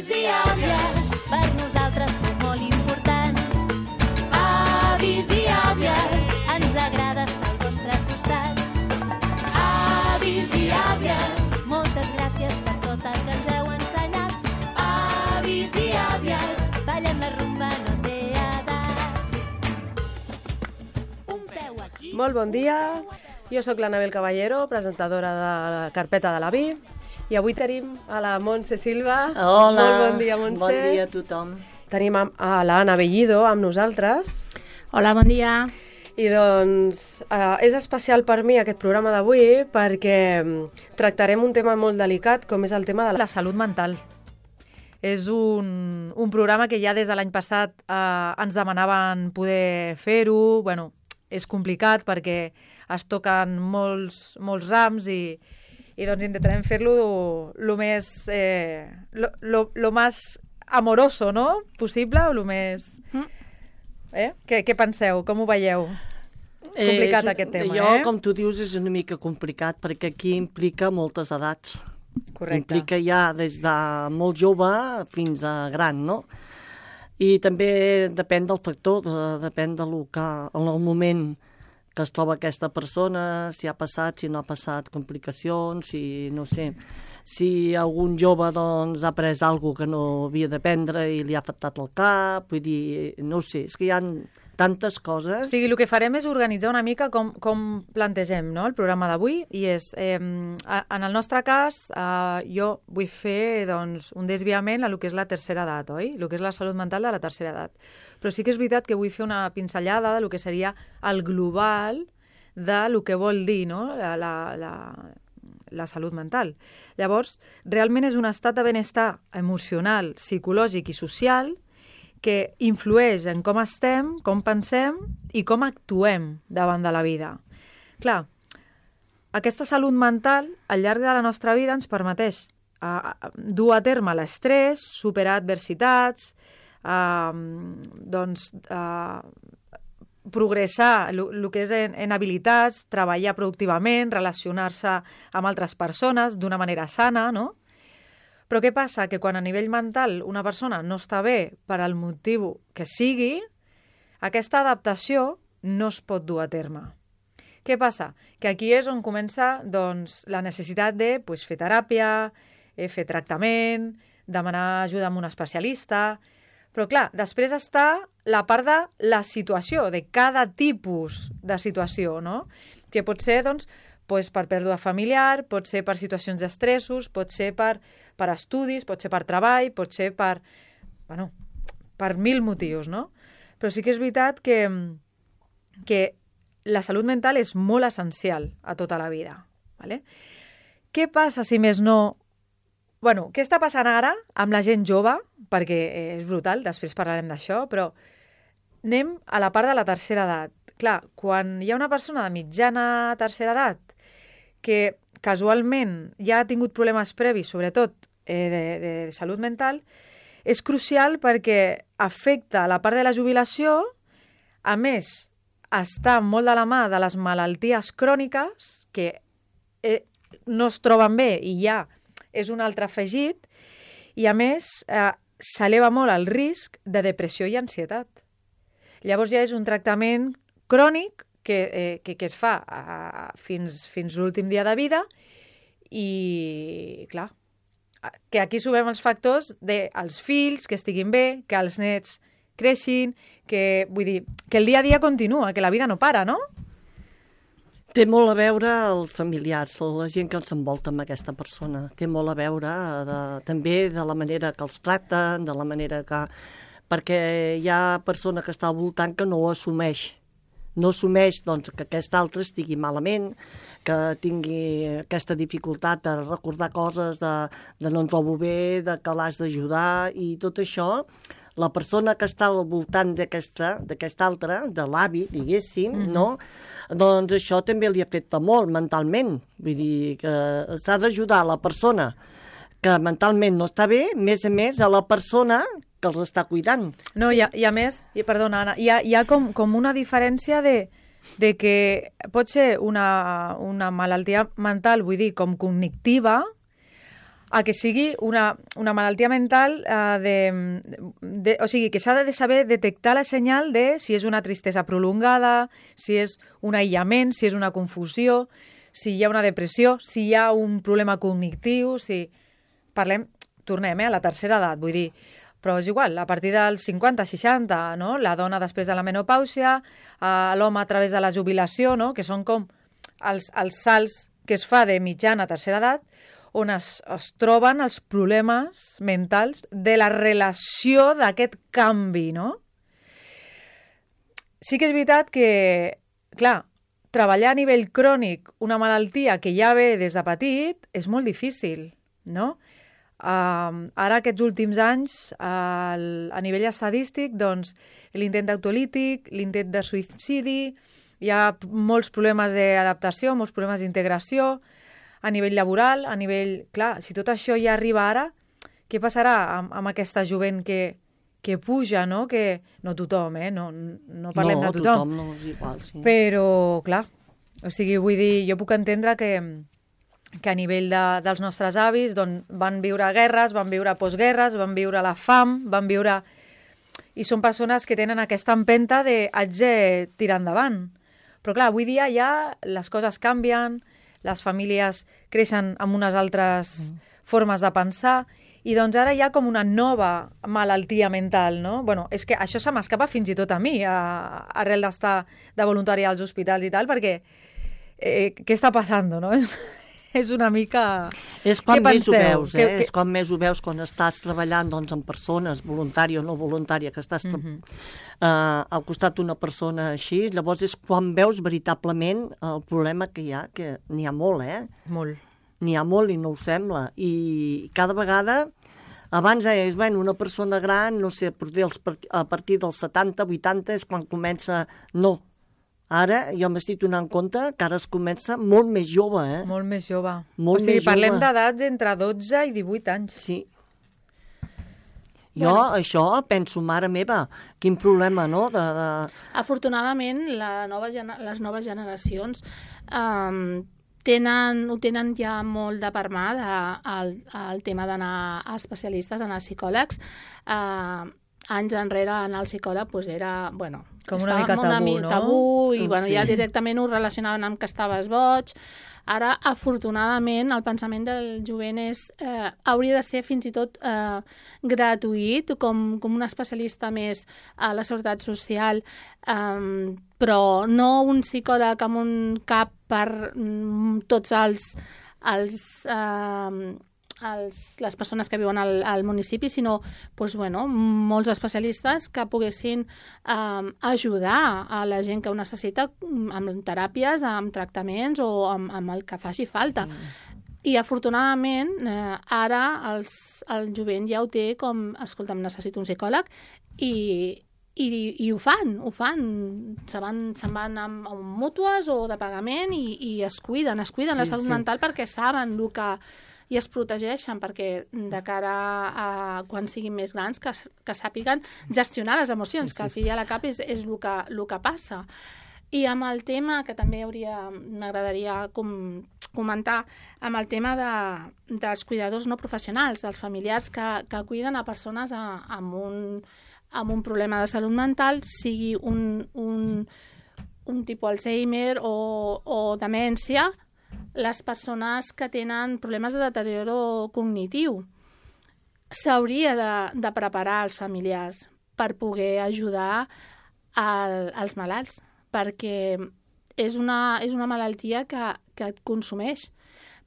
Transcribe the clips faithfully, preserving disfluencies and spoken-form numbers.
Avis i àvies, per nosaltres sou molt importants. Avis i àvies, ens agrada estar al vostre costat. Avis i àvies, moltes gràcies per tot el que ens heu ensenyat. Avis i àvies, ballem la rumba, no té edat. Un peu aquí... Molt bon dia, jo sóc l'Anabel Caballero, presentadora de la carpeta de l'avi, i avui tenim a la Montse Silva. Hola, molt bon dia, Montse. Bon dia a tothom. Tenim a, a l'Anna Bellido amb nosaltres. Hola, bon dia. I doncs eh, és especial per mi aquest programa d'avui perquè tractarem un tema molt delicat com és el tema de la, la salut mental. És un, un programa que ja des de l'any passat eh, ens demanaven poder fer-ho. Bueno, és complicat perquè es toquen molts, molts rams i, i doncs intentarem fer-lo lo més eh, lo, lo, lo más amoroso, no? Possible o lo més... Mm. Eh? Què, què penseu? Com ho veieu? És complicat eh, és, aquest tema, jo, eh? Com tu dius, és una mica complicat perquè aquí implica moltes edats. Correcte. Implica ja des de molt jove fins a gran, no? I també depèn del factor, de, depèn de lo que, en el moment que es troba aquesta persona, si ha passat, si no ha passat complicacions, si, no sé, si algun jove doncs, ha pres alguna que no havia de prendre i li ha afectat el cap, vull dir, no sé, és que hi ha tantes coses. O sigui, el que farem és organitzar una mica com, com plantegem, no?, el programa d'avui, i és, eh, en el nostre cas, eh, jo vull fer doncs, un desviament a lo que és la tercera edat, oi? El que és la salut mental de la tercera edat. Però sí que és veritat que vull fer una pinzellada de lo que seria el global de lo que vol dir, no?, la, la, la, la salut mental. Llavors, realment és un estat de benestar emocional, psicològic i social que influeix en com estem, com pensem i com actuem davant de la vida. Clar, aquesta salut mental al llarg de la nostra vida ens permeteix uh, dur a terme l'estrès, superar adversitats, uh, doncs, uh, progressar el que és en, en habilitats, treballar productivament, relacionar-se amb altres persones d'una manera sana, no? Però què passa? Que quan a nivell mental una persona no està bé per al motiu que sigui, aquesta adaptació no es pot dur a terme. Què passa? Que aquí és on comença doncs, la necessitat de pues, fer teràpia, eh, fer tractament, demanar ajuda amb un especialista. Però clar, després està la part de la situació, de cada tipus de situació, no? Que pot ser doncs, pues, per pèrdua familiar, pot ser per situacions d'estressos, pot ser per, per estudis, pot ser per treball, pot ser per, bueno, per mil motius, no? Però sí que és veritat que, que la salut mental és molt essencial a tota la vida. ¿Vale? Què passa si més no... Bueno, què està passant ara amb la gent jove? Perquè és brutal, després parlarem d'això, però anem a la part de la tercera edat. Clar, quan hi ha una persona de mitjana tercera edat que casualment ja ha tingut problemes previs, sobretot eh, de, de salut mental, és crucial perquè afecta la part de la jubilació, a més, està molt de la mà de les malalties cròniques, que eh, no es troben bé i ja és un altre afegit, i a més eh, s'eleva molt el risc de depressió i ansietat. Llavors ja és un tractament crònic que, eh, que, que es fa eh, fins, fins l'últim dia de vida i, clar, que aquí subem els factors dels fills, que estiguin bé, que els nets creixin, que, vull dir, que el dia a dia continua, que la vida no para, no? Té molt a veure els familiars, la gent que ens envolta amb aquesta persona. Té molt a veure de, també de la manera que els tracten, de la manera que... Perquè hi ha persona que està al voltant que no ho assumeix. No assumeix doncs, que aquest altre estigui malament, que tingui aquesta dificultat de recordar coses, de, de no em trobo bé, de que l'has d'ajudar i tot això. La persona que està al voltant d'aquesta d'aquest altre, de l'avi, diguéssim, mm-hmm. no? Doncs això també li afecta molt mentalment. Vull dir que s'ha d'ajudar la persona que mentalment no està bé, més a més a la persona que els està cuidant. No, sí. i, a, i a més, i, perdona, Anna, hi ha, hi ha com, com una diferència de, de que pot ser una, una malaltia mental, vull dir, com cognitiva, a que sigui una, una malaltia mental eh, de, de... O sigui, que s'ha de saber detectar la senyal de si és una tristesa prolongada, si és un aïllament, si és una confusió, si hi ha una depressió, si hi ha un problema cognitiu, si... Parlem, tornem eh, a la tercera edat, vull dir, però és igual, a partir dels cinquanta, seixanta, no? La dona després de la menopàusia, eh, l'home a través de la jubilació, no? Que són com els, els salts que es fa de mitjana a tercera edat, on es, es troben els problemes mentals de la relació d'aquest canvi, no? Sí que és veritat que, clar, treballar a nivell crònic una malaltia que ja ve des de petit és molt difícil, no? Uh, ara, aquests últims anys, uh, a nivell estadístic, doncs, l'intent autolític, l'intent de suïcidi, hi ha molts problemes d'adaptació, molts problemes d'integració, a nivell laboral, a nivell... Clar, si tot això ja arriba ara, què passarà amb, amb aquesta jovent que, que puja, no? Que, no tothom, eh? No, no parlem no, de tothom. tothom no és igual, sí. Però, clar, o sigui, vull dir, jo puc entendre que, que a nivell de, dels nostres avis doncs, van viure guerres, van viure postguerres, van viure la fam, van viure... I són persones que tenen aquesta empenta de haig de tirar endavant. Però, clar, avui dia ja les coses canvien, les famílies creixen amb unes altres mm. formes de pensar i doncs ara hi ha com una nova malaltia mental, no? Bueno, és que això se m'escapa fins i tot a mi, a, arrel d'estar de voluntària als hospitals i tal, perquè eh, què està passant, no? És una mica... És quan més ho veus, eh? Que, que... És quan més ho veus quan estàs treballant doncs, amb persones, voluntària o no voluntària, que estàs mm -hmm. uh, al costat d'una persona així, llavors és quan veus veritablement el problema que hi ha, que n'hi ha molt, eh? Molt. N'hi ha molt i no ho sembla. I cada vegada... Abans és, bueno, una persona gran, no sé, a partir dels setanta, vuitanta és quan comença... No. Ara jo m'estic donant compte que ara es comença molt més jove, eh? Molt més jove. Molt o sigui, més parlem jove. d'edats entre dotze i divuit anys. Sí. Jo, bueno. Això, penso, mare meva, quin problema, no? De, de... Afortunadament, la nova, les noves generacions um, tenen, ho tenen ja molt de per mà de, el, el tema d'anar a especialistes, anar a psicòlegs. Uh, anys enrere anar al psicòleg pues, era, bueno... Com una mica tabú, una no? tabú, i bueno, sí. ja directament ho relacionaven amb que estaves boig. Ara, afortunadament, el pensament del jovent és, eh, hauria de ser fins i tot eh, gratuït, com, com un especialista més a la Seguretat Social, eh, però no un psicòleg amb un cap per mm, tots els... els eh, Els, les persones que viuen al, al municipi, sinó doncs, bueno, molts especialistes que poguessin eh, ajudar a la gent que ho necessita amb teràpies, amb tractaments o amb, amb el que faci falta. Mm. I afortunadament eh, ara els, el jovent ja ho té com, escolta'm, necessito un psicòleg i, i, i ho fan, ho fan. Se van, se'n van amb, amb mútues o de pagament i, i es cuiden, es cuiden sí, la salut sí. mental perquè saben el que i es protegeixen perquè de cara a quan siguin més grans que, que sàpiguen gestionar les emocions, sí, sí, que al fi i a la cap és, és el, que, el que passa. I amb el tema, que també hauria m'agradaria com, comentar, amb el tema de, dels cuidadors no professionals, dels familiars que, que cuiden a persones a, amb, un, amb un problema de salut mental, sigui un, un, un tipus Alzheimer o, o demència, les persones que tenen problemes de deterioro cognitiu. S'hauria de, de preparar els familiars per poder ajudar al, als malalts, perquè és una, és una malaltia que, que et consumeix,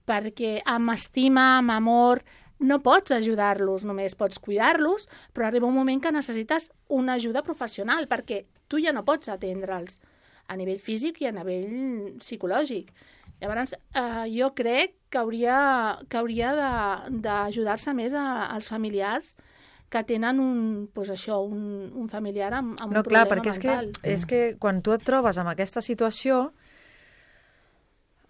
perquè amb estima, amb amor, no pots ajudar-los, només pots cuidar-los, però arriba un moment que necessites una ajuda professional, perquè tu ja no pots atendre'ls a nivell físic i a nivell psicològic. Llavors, eh, jo crec que hauria, que hauria d'ajudar-se més a, als familiars que tenen un, pues això, un, un familiar amb, amb no, un clar, problema perquè mental. És que, és que quan tu et trobes amb aquesta situació,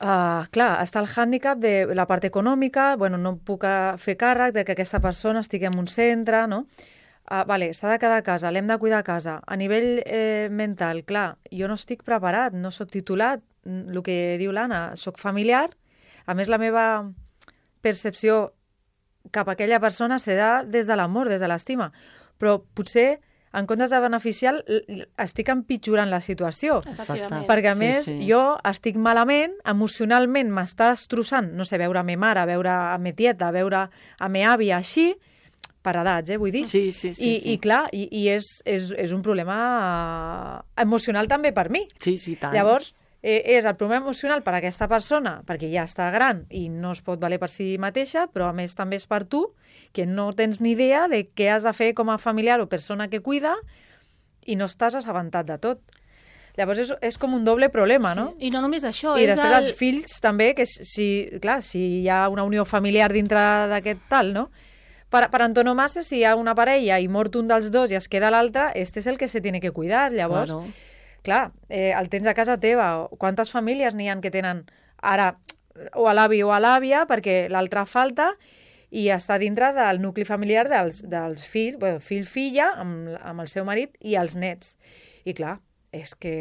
uh, clar, està el hàndicap de la part econòmica, bueno, no puc fer càrrec de que aquesta persona estigui en un centre, no? Uh, vale, s'ha de quedar a casa, l'hem de cuidar a casa. A nivell eh, mental, clar, jo no estic preparat, no sóc titulat, el que diu l'Anna, sóc familiar, a més la meva percepció cap a aquella persona serà des de l'amor, des de l'estima. Però potser, en comptes de beneficiar, estic empitjorant la situació. Efectivament. Perquè, a Sí, més, sí. jo estic malament, emocionalment m'està destrossant, no sé, veure a me mare, veure a me tieta, veure a me àvia, així, per edats, eh, vull dir. Sí, sí, sí. I, sí. i clar, i, i és, és, és un problema eh, emocional també per mi. Sí, sí, tant. Llavors, eh, és el problema emocional per a aquesta persona, perquè ja està gran i no es pot valer per si mateixa, però a més també és per tu, que no tens ni idea de què has de fer com a familiar o persona que cuida i no estàs assabentat de tot. Llavors és, és com un doble problema, no? Sí. I no només això, I és després el... els fills també, que si, clar, si hi ha una unió familiar dintre d'aquest tal, no? Per, per antonomàsia, si hi ha una parella i mort un dels dos i es queda l'altre, este és el que se tiene que cuidar. Llavors, Claro. clar, eh, el tens a casa teva. Quantes famílies n'hi ha que tenen ara o a l'avi o a l'àvia perquè l'altre falta i està dintre del nucli familiar dels, dels fills, bueno, fill-filla, amb, amb el seu marit i els nets. I clar, és que...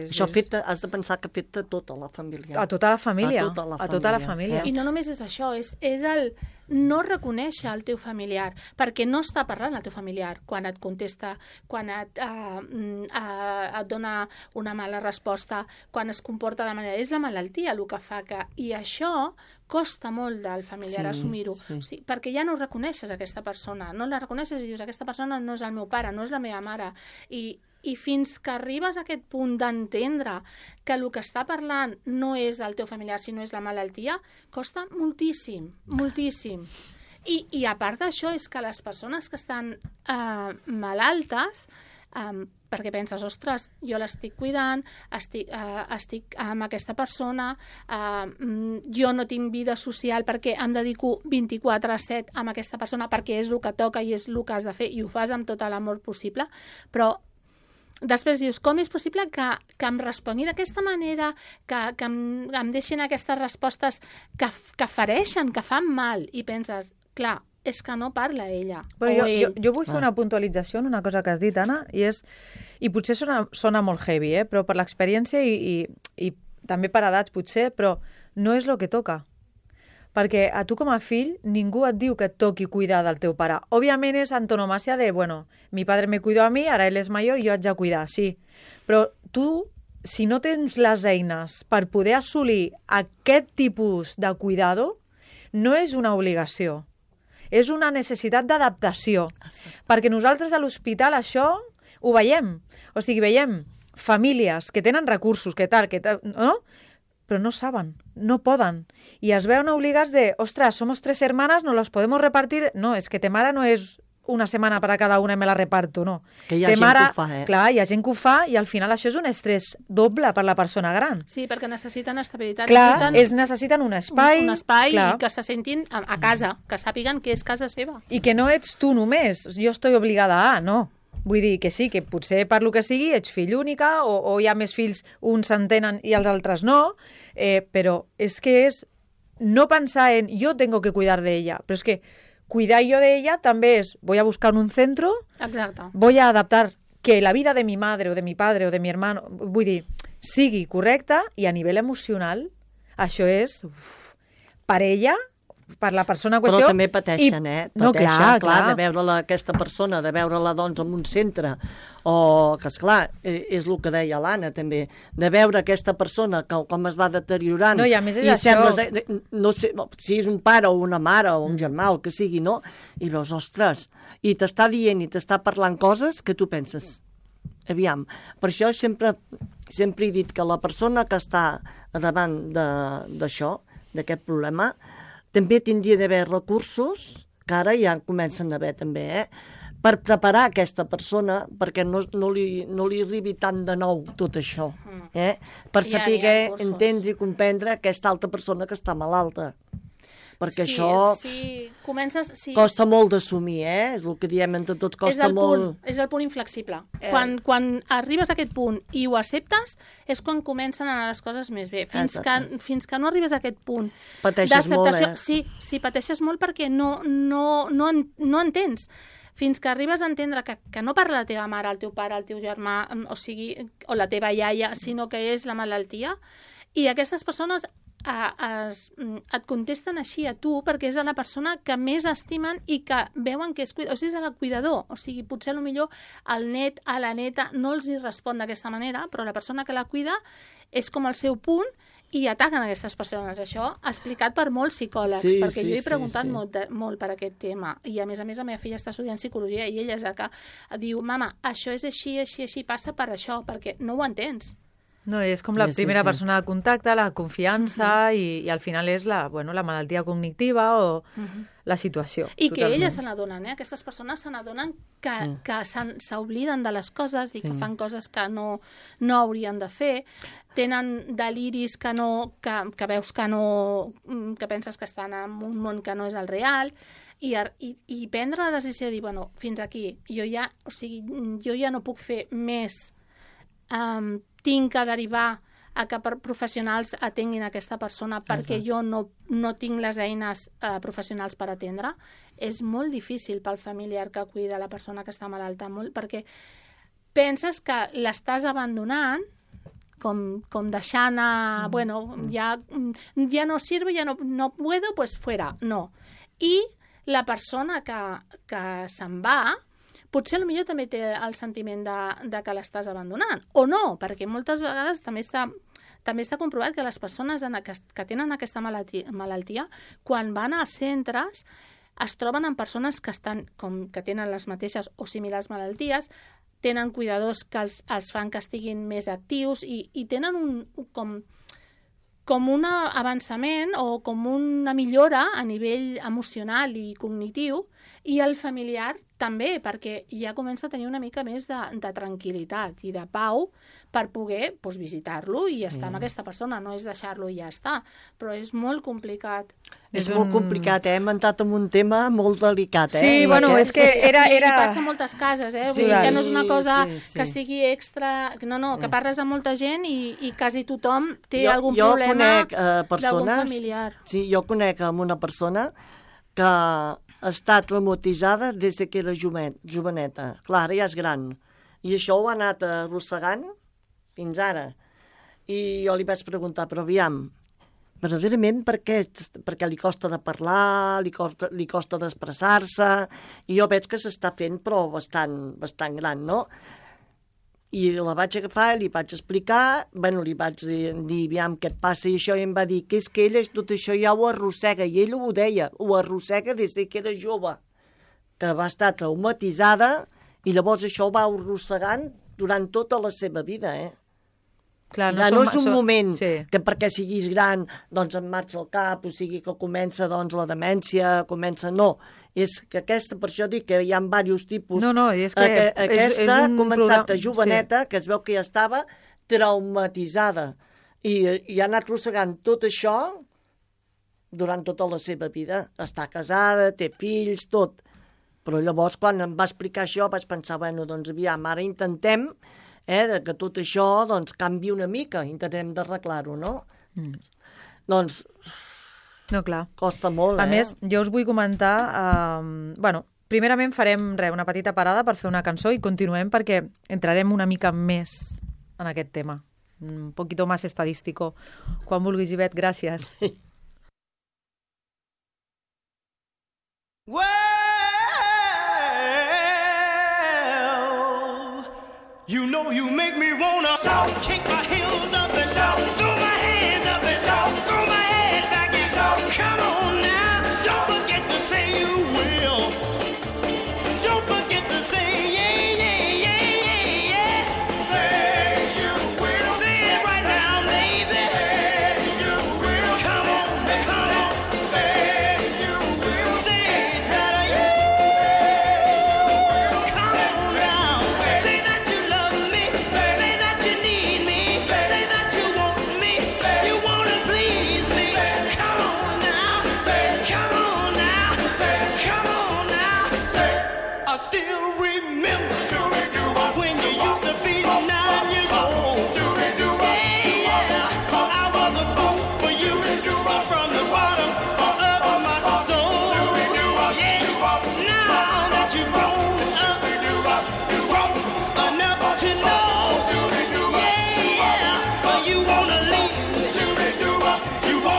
És, Això és... afecta, has de pensar que afecta tota la família. A tota la família. A tota la A tota la família. família. I no només és això, és, és el no reconèixer el teu familiar, perquè no està parlant el teu familiar quan et contesta, quan et, uh, uh, et dona una mala resposta, quan es comporta de manera... És la malaltia el que fa que... I això costa molt del familiar Sí, assumir-ho, sí. sí, perquè ja no reconeixes aquesta persona, no la reconeixes i dius, aquesta persona no és el meu pare, no és la meva mare, i I fins que arribes a aquest punt d'entendre que el que està parlant no és el teu familiar, sinó és la malaltia, costa moltíssim, moltíssim. I, i a part d'això és que les persones que estan eh, malaltes, eh, perquè penses, ostres, jo l'estic cuidant, estic, eh, estic amb aquesta persona, eh, jo no tinc vida social perquè em dedico vint-i-quatre a set amb aquesta persona perquè és el que toca i és el que has de fer i ho fas amb tot l'amor possible, però després dius, com és possible que, que em respongui d'aquesta manera, que, que em, em deixin aquestes respostes que, que fereixen, que fan mal, i penses, clar, és que no parla ella Però o jo, ell. jo, jo vull fer una puntualització en una cosa que has dit, Anna, i és, i potser sona, sona molt heavy, eh? Però per l'experiència i, i, i també per edats potser, però no és el que toca. Perquè a tu com a fill ningú et diu que et toqui cuidar del teu pare. Òbviament és antonomàcia de, bueno, mi padre me cuidó a mi, ara ell és major i jo haig de cuidar, sí. Però tu, si no tens les eines per poder assolir aquest tipus de cuidado, no és una obligació. És una necessitat d'adaptació. Perquè nosaltres a l'hospital això ho veiem. O sigui, veiem famílies que tenen recursos, que tal, que tal, no? Però no saben, no poden. I es veuen obligats de, ostres, somos tres hermanas, nos los podemos repartir. No, és que te mare no és una setmana per a cada una i me la reparto, no. Que hi ha Te gent mare, que ho fa, eh? Clar, hi ha gent que ho fa i al final això és un estrès doble per la persona gran. Sí, perquè necessiten estabilitat. Clar, necessiten ells necessiten un espai. un, un espai clar. i que se sentin a, a casa, que sàpiguen que és casa seva. I que no ets tu només, jo estoy obligada a, no. Vull dir que sí, que potser per lo que sigui ets fill única o, o hi ha més fills, uns s'entenen i els altres no, eh, però és que és no pensar en yo tengo que cuidar de ella, però és que cuidar yo de ella també és voy a buscar un centro, Exacte. voy a adaptar que la vida de mi madre o de mi padre o de mi hermano, vull dir, sigui correcta i a nivell emocional això és uf, per ella, per la persona en qüestió... Però també pateixen, i... eh? Pateixen, no, clar, clar. de veure-la, aquesta persona, de veure-la, doncs, en un centre, o que, esclar, eh, és el que deia l'Anna, també, de veure aquesta persona que com es va deteriorant... No, i a més és i això... sembles, eh, no sé, si és un pare o una mare o un germà, el que sigui, no? I veus, ostres, i t'està dient i t'està parlant coses que tu penses... Aviam, per això sempre, sempre he dit que la persona que està davant d'això, d'aquest problema, també tindria d'haver recursos, que ara ja comencen a haver també, eh? per preparar aquesta persona perquè no, no, li, no li arribi tant de nou tot això, eh? per Ja, saber hi ha recursos. entendre i comprendre aquesta altra persona que està malalta. Perquè sí, això sí, comences, sí, costa molt d'assumir, eh? És el que diem entre tots, és costa el molt... punt, és el punt inflexible. Eh. Quan, quan arribes a aquest punt i ho acceptes, és quan comencen a anar les coses més bé. Fins, Exacte. que, fins que no arribes a aquest punt Pateixes molt, d'acceptació... eh? Sí, sí, pateixes molt perquè no, no, no, en, no entens. Fins que arribes a entendre que, que no parla la teva mare, el teu pare, el teu germà, o sigui, o la teva iaia, sinó que és la malaltia, i aquestes persones a, es, et contesten així a tu perquè és a la persona que més estimen i que veuen que és cuidador, o sigui, és el cuidador, o sigui, potser potser el net a la neta no els hi respon d'aquesta manera, però la persona que la cuida és com el seu punt i ataquen aquestes persones. Això explicat per molts psicòlegs, sí, perquè sí, jo he preguntat sí, sí. Molt, de, molt per aquest tema, i a més a més la meva filla està estudiant psicologia i ella és la que diu, mama, això és així, així, així, passa per això, perquè no ho entens. No, és com la Sí, sí, primera sí. persona de contacte, la confiança, uh-huh. i, i al final és la, bueno, la malaltia cognitiva o uh-huh. la situació. I que totalment. elles se n'adonen, eh? Aquestes persones se n'adonen que, mm. que s'obliden de les coses i sí. que fan coses que no, no haurien de fer, tenen deliris que, no, que, que veus que no, que penses que estan en un món que no és el real, i, i, i prendre la decisió de dir, bueno, fins aquí, jo ja, o sigui, jo ja no puc fer més, um, tinc que derivar a que per professionals atenguin aquesta persona perquè Exacte. jo no, no tinc les eines eh, professionals per atendre, és molt difícil pel familiar que cuida la persona que està malalta, molt, perquè penses que l'estàs abandonant, com, com deixant a, mm. bueno, ja, ja no sirve, ja no, no puedo, pues fuera, no. I la persona que, que se'n va, potser potser també té el sentiment de, de que l'estàs abandonant, o no, perquè moltes vegades també està, també està comprovat que les persones en aquest, que tenen aquesta malaltia, malaltia, quan van a centres, es troben amb persones que, estan, com, que tenen les mateixes o similars malalties, tenen cuidadors que els, els fan que estiguin més actius i, i tenen un, com, com un avançament o com una millora a nivell emocional i cognitiu, i el familiar també, perquè ja comença a tenir una mica més de, de tranquil·litat i de pau per poder pues, visitar-lo i estar sí. amb aquesta persona, no és deixar-lo i ja està, però és molt complicat. És, és molt un... complicat, eh? Hem entrat en un tema molt delicat, eh? Sí, I bueno, aquest... és que era... era... I passa a moltes cases, eh? Sí, Vull dir que no és una cosa sí, sí. que estigui extra... No, no, que parles amb molta gent i, i quasi tothom té jo, algun jo problema conec, eh, persones, d'algun familiar. Sí, jo conec amb una persona que ha estat traumatitzada des que era joven, joveneta. Clar, ja és gran. I això ho ha anat arrossegant fins ara. I jo li vaig preguntar, però aviam, verdaderament per què? Perquè li costa de parlar, li costa, li costa d'expressar-se, i jo veig que s'està fent, però bastant, bastant gran, no? I la vaig agafar, li vaig explicar, bueno, li vaig dir, dir, aviam, què et passa, i això, i em va dir que és que ella tot això ja ho arrossega, i ell ho deia, ho arrossega des que era jove, que va estar traumatitzada, i llavors això ho va arrossegant durant tota la seva vida, eh? Clar, no, ja, som, no és un som... moment sí. que perquè siguis gran doncs em marxa el cap, o sigui que comença doncs la demència, comença... No, és que aquesta, per això dic que hi ha diversos tipus. No, no, és que... Aqu aquesta ha començat programa... a joveneta, sí. que es veu que ja estava traumatitzada, i, i ha anat arrossegant tot això durant tota la seva vida. Està casada, té fills, tot. Però llavors, quan em va explicar això, vaig pensar, bueno, doncs aviam, ara intentem eh, que tot això doncs, canvi una mica, intentem d'arreglar-ho, no? Mm. Doncs... No, clar. Costa molt, a eh? A més, jo us vull comentar... Eh, bueno, primerament farem re, una petita parada per fer una cançó i continuem perquè entrarem una mica més en aquest tema. Un poquito más estadístico. Quan vulguis, Ivet, gràcies. Well, you know you make me wanna shout, kick my heels up and shout, throw my hands up and shout, throw my head back and shout. Come on now, don't forget to say you will. Don't forget to say yeah, yeah, yeah, yeah, yeah. Say you will. Say it right now, baby. Say you will. Come on, come on. Say you will. Say it better, yeah. Come on now. Say that you love me. Say that you need me. Say that you want me. You wanna please me. Come on now. Come on now. Come on now. I still remember when you used to be nine years old. Yeah, yeah. I was a fool for you from the bottom of my soul. Yeah, now that you've grown up, grown enough to know. Yeah, yeah. You wanna leave. You want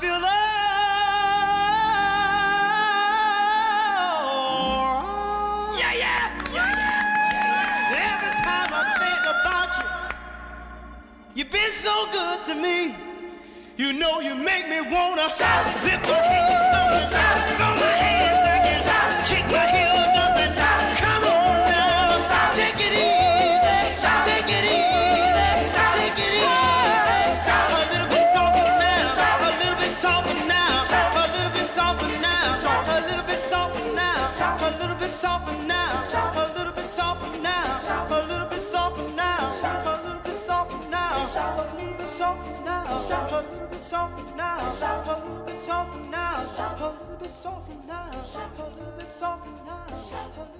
feel all yeah, yeah, yeah, yeah. Every time I think about you, you've been so good to me. You know you make me wanna lift my hands up and throw my hands back and kick my heels up and come on now, take it easy, take it easy, take it easy. A little bit softer now, a little bit softer now, a little bit softer now, a little bit softer now, a little bit softer now, a little bit softer now, a little bit softer now, a little bit softer now, a little bit softer now, a little bit softer now, a little bit softer now, a little bit softer now, a little bit softer now, a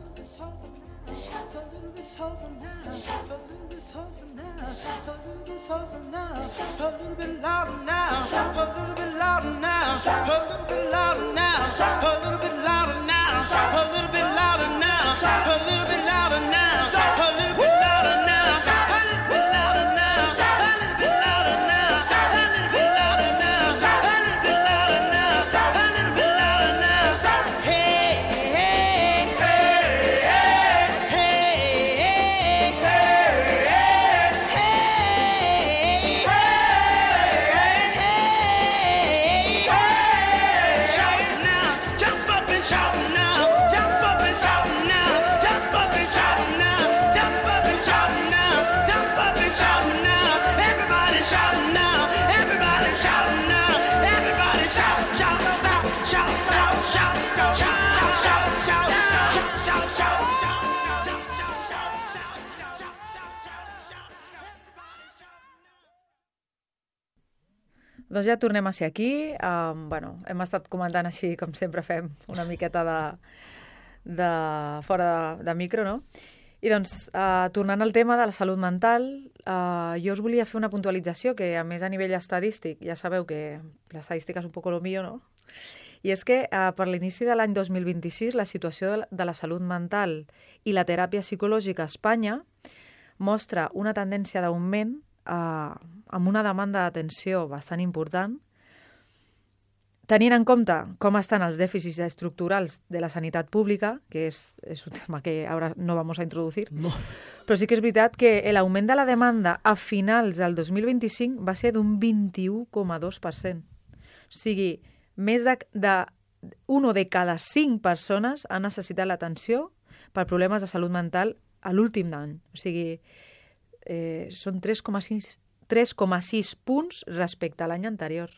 little bit softer now, a little bit softer now, a little bit softer now, a little bit softer now, a little bit louder now, a little bit louder now, a little bit louder now, a little bit louder now, a little bit louder now, a little bit louder now, a little bit louder now, a little bit louder now, a little bit louder now, a little bit louder now, a little bit louder now, a little bit louder now. Hey, hey, hey, hey, hey, hey, hey, shout now, jump up and shout now, jump up and shout now, jump up and shout now, jump up and shout now, jump up and shout now, everybody shout now, everybody shout now, everybody shout, shout, shout, shout, shout, shout, shout, shout, shout, shout, shout, shout, shout, shout, Doncs ja tornem a ser aquí. Um, bueno, hem estat comentant així, com sempre fem, una miqueta de, de fora de, de micro, no? I doncs, uh, tornant al tema de la salut mental, uh, jo us volia fer una puntualització que, a més, a nivell estadístic, ja sabeu que l'estadística és un poc lo mío, no? I és que uh, per l'inici de l'any dos mil vint-i-sis la situació de la, de la salut mental i la teràpia psicològica a Espanya mostra una tendència d'augment uh, amb una demanda d'atenció bastant important, tenint en compte com estan els dèficits estructurals de la sanitat pública, que és, és un tema que ara no vamos a introducir, No. però sí que és veritat que l'augment de la demanda a finals del dos mil vint-i-cinc va ser d'un vint-i-u coma dos per cent. O sigui, més de, de una de cada cinc persones ha necessitat l'atenció per problemes de salut mental a l'últim any. O sigui, eh, són tres coma sis punts respecte a l'any anterior.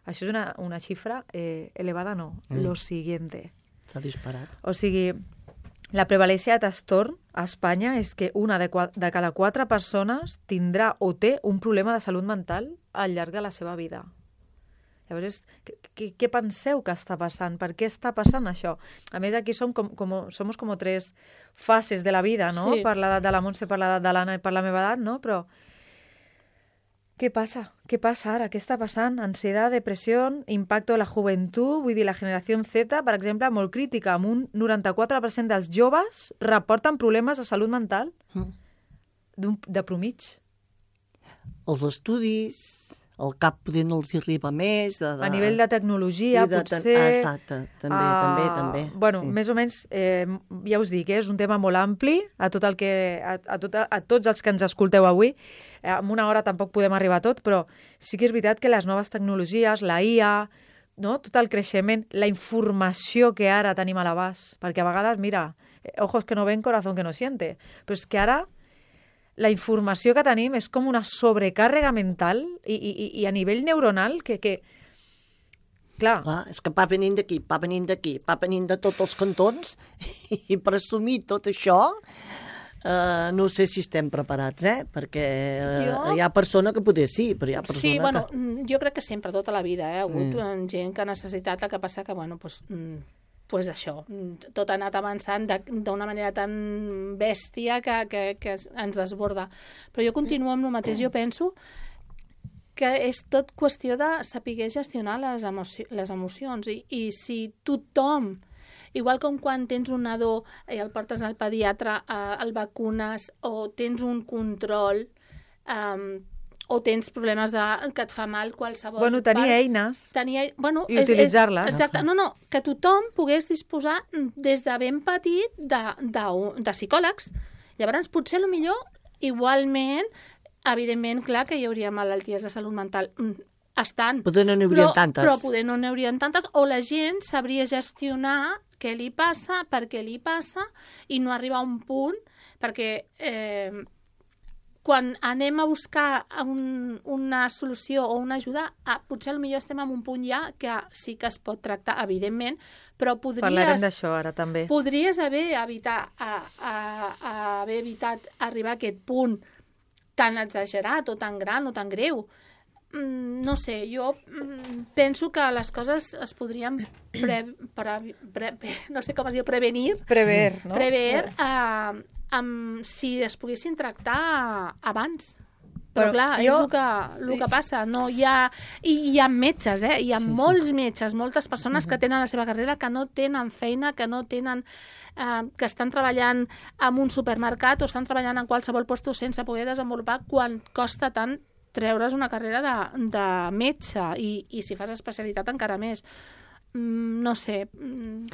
Això és una, una xifra eh, elevada, no. Mm. Lo siguiente. S'ha disparat. O sigui, la prevalència de trastorn a Espanya és que una de, de cada quatre persones tindrà o té un problema de salut mental al llarg de la seva vida. Llavors, què, què penseu que està passant? Per què està passant això? A més, aquí som com, com, som com tres fases de la vida, no? Sí. Per l'edat de la Montse, per l'edat de l'Anna i per la meva edat, no? Però què passa? Què passa ara? Què està passant? Ansietat, depressió, impacte de la joventut, vull dir, la generació Z, per exemple, molt crítica, amb un noranta-quatre per cent dels joves reporten problemes de salut mental Mm. de promig. Els estudis, el cap poder no els hi arriba més. De, de... A nivell de tecnologia, I de potser... ten- Exacte, també, ah, també, també. Bueno, sí. més o menys, eh, ja us dic, eh, és un tema molt ampli a, tot el que, a, a, tot, a tots els que ens escolteu avui. Eh, en una hora tampoc podem arribar a tot, però sí que és veritat que les noves tecnologies, la I A, no? Tot el creixement, la informació que ara tenim a l'abast, perquè a vegades, mira, eh, ojos que no ven, corazón que no siente, però és que ara la informació que tenim és com una sobrecàrrega mental i, i, i a nivell neuronal que, que clar, Clar, és que va venint d'aquí, va venint d'aquí, va venint de tots els cantons i per assumir tot això eh, no sé si estem preparats, eh? Perquè eh, Jo- hi ha persona que poder sí, però hi ha persona Sí, bueno, que... mm, jo crec que sempre, tota la vida, eh? ha hagut Mm. mm. gent que ha necessitat, el que passa que, bueno, pues, mm, pues això, mm, tot ha anat avançant de- d'una manera tan bèstia que, que, que ens desborda. Però jo continuo amb el mateix, jo penso que és tot qüestió de saber gestionar les, emoci les emocions i, i si tothom, igual com quan tens un nadó i el portes al pediatre, eh, el vacunes o tens un control, um, o tens problemes de, que et fa mal qualsevol Bueno, tenir part. eines Tenir, bueno, i utilitzar-les. És, exacte, no, no, que tothom pogués disposar des de ben petit de, de, de psicòlegs. Llavors, potser, a lo millor, igualment, evidentment, clar que hi hauria malalties de salut mental. Estan. Poder no n'hi haurien però, tantes. Però poder no n'hi haurien tantes, o la gent sabria gestionar què li passa, per què li passa, i no arribar a un punt, perquè eh, quan anem a buscar un, una solució o una ajuda, ah, potser potser estem en un punt ja que sí que es pot tractar, evidentment, però podries... Parlarem d'això ara, també. Podries haver, evitar, a, a, a haver evitat arribar a aquest punt tan exagerat o tan gran o tan greu. Mm, no sé, jo mm, penso que les coses es podrien pre, pre, pre, no sé com es diu, prevenir, Prever, no? prever eh, amb, si es poguessin tractar abans. Però, Però clar, jo- és el que, el que passa. No, hi ha, i hi ha metges, eh? Hi ha Sí, sí. molts metges, moltes persones que tenen la seva carrera que no tenen feina, que no tenen... Eh, que estan treballant en un supermercat o estan treballant en qualsevol lloc sense poder desenvolupar quan costa tant treure's una carrera de, de metge i, i si fas especialitat encara més. Mm, no sé. Mm,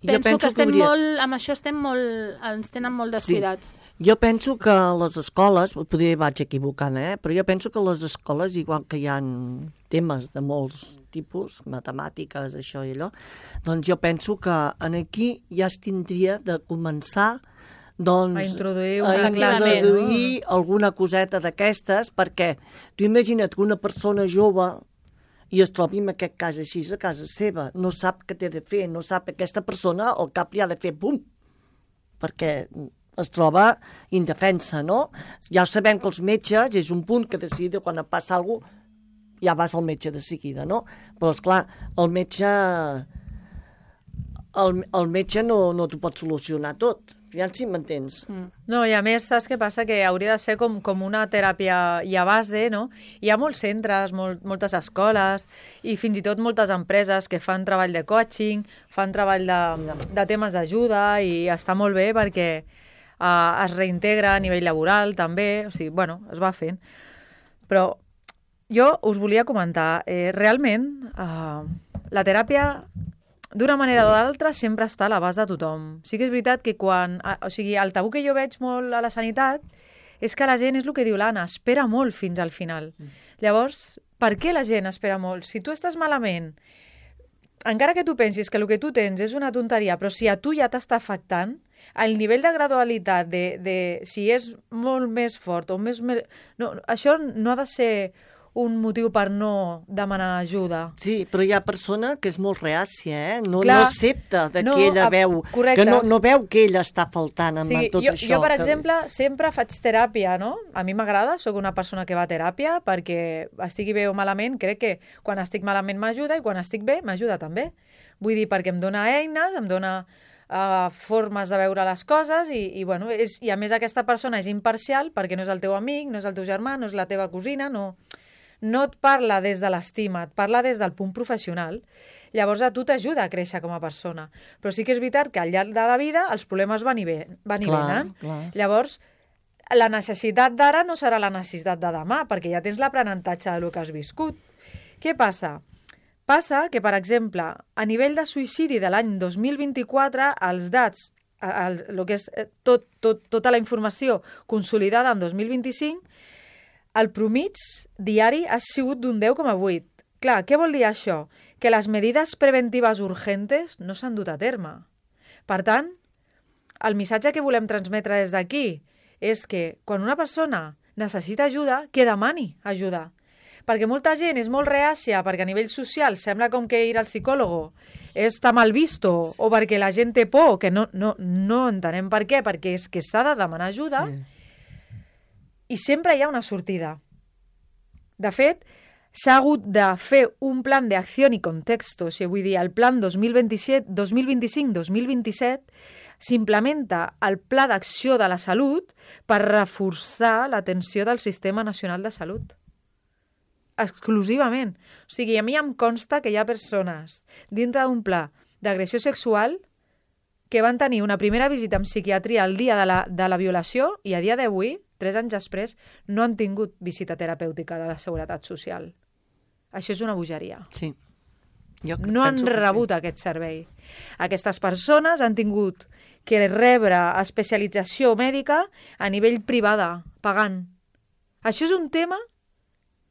Jo penso, penso que estem que hauria- molt... Amb això estem molt... ens tenen molt descuidats. Jo penso que les escoles, potser vaig equivocant, eh? però jo penso que les escoles, igual que hi ha temes de molts tipus, matemàtiques, això i allò, doncs jo penso que en aquí ja es tindria de començar doncs, A introduir a una classe, introduir alguna coseta d'aquestes, perquè tu imagina't que una persona jove i es trobi en aquest cas així a casa seva, no sap què té de fer, no sap aquesta persona, al cap li ha de fer bum, perquè es troba indefensa, no? Ja sabem que els metges és un punt que decide quan et passa alguna cosa, ja vas al metge de seguida, no? Però, esclar, el metge... El, el metge no, no t'ho pot solucionar tot. Ja si m'entens. Mm. No, i a més, saps què passa? Que hauria de ser com, com una teràpia ja base, no? Hi ha molts centres, molt, moltes escoles i fins i tot moltes empreses que fan treball de coaching, fan treball de, de temes d'ajuda i està molt bé perquè uh, es reintegra a nivell laboral també, o sigui, bueno, es va fent. Però jo us volia comentar, eh, realment, uh, la teràpia d'una manera o d'altra sempre està a l'abast de tothom. Sí que és veritat que quan... O sigui, el tabú que jo veig molt a la sanitat és que la gent, és el que diu l'Anna, espera molt fins al final. Mm. Llavors, per què la gent espera molt? Si tu estàs malament, encara que tu pensis que el que tu tens és una tonteria, però si a tu ja t'està afectant, el nivell de gradualitat, de, de si és molt més fort o més... No, això no ha de ser un motiu per no demanar ajuda. Sí, però hi ha persona que és molt reàcia, eh? No, Clar, no accepta de no, que ella a- veu, correcte. que no, no veu que ella està faltant amb Sí, tot jo, això. jo, per que... exemple, sempre faig teràpia, no? A mi m'agrada, sóc una persona que va a teràpia perquè estigui bé o malament, crec que quan estic malament m'ajuda i quan estic bé m'ajuda també. Vull dir, perquè em dona eines, em dona uh, formes de veure les coses i, i, bueno, és, i a més aquesta persona és imparcial perquè no és el teu amic, no és el teu germà, no és la teva cosina, no... no et parla des de l'estima, et parla des del punt professional. Llavors a tu t'ajuda a créixer com a persona. Però sí que és veritat que al llarg de la vida els problemes van i, ve, van i Clar, venen. clar. Llavors, la necessitat d'ara no serà la necessitat de demà, perquè ja tens l'aprenentatge del que has viscut. Què passa? Passa que, per exemple, a nivell de suïcidi de l'any dos mil vint-i-quatre, els dats, el, el que és tot, tot, tota la informació consolidada en dos mil vint-i-cinc, el promig diari ha sigut d'un deu coma vuit. Clar, què vol dir això? Que les medides preventives urgentes no s'han dut a terme. Per tant, el missatge que volem transmetre des d'aquí és que quan una persona necessita ajuda, que demani ajuda. Perquè molta gent és molt reàcia, perquè a nivell social sembla com que ir al psicòleg està mal visto, o perquè la gent té por, que no, no, no entenem per què, perquè és que s'ha de demanar ajuda, sí. I sempre hi ha una sortida. De fet, s'ha hagut de fer un plan d'acció i contexto, o sigui, vull dir, el plan dos mil vint-i-set, dos mil vint-i-cinc dos mil vint-i-set s'implementa el Pla d'Acció de la Salut per reforçar l'atenció del Sistema Nacional de Salut. Exclusivament. O sigui, a mi em consta que hi ha persones dintre d'un pla d'agressió sexual que van tenir una primera visita en psiquiatria el dia de la, de la violació i a dia d'avui tres anys després, no han tingut visita terapèutica de la Seguretat Social. Això és una bogeria. Sí. Jo No han penso que rebut sí. aquest servei. Aquestes persones han tingut que rebre especialització mèdica a nivell privada, pagant. Això és un tema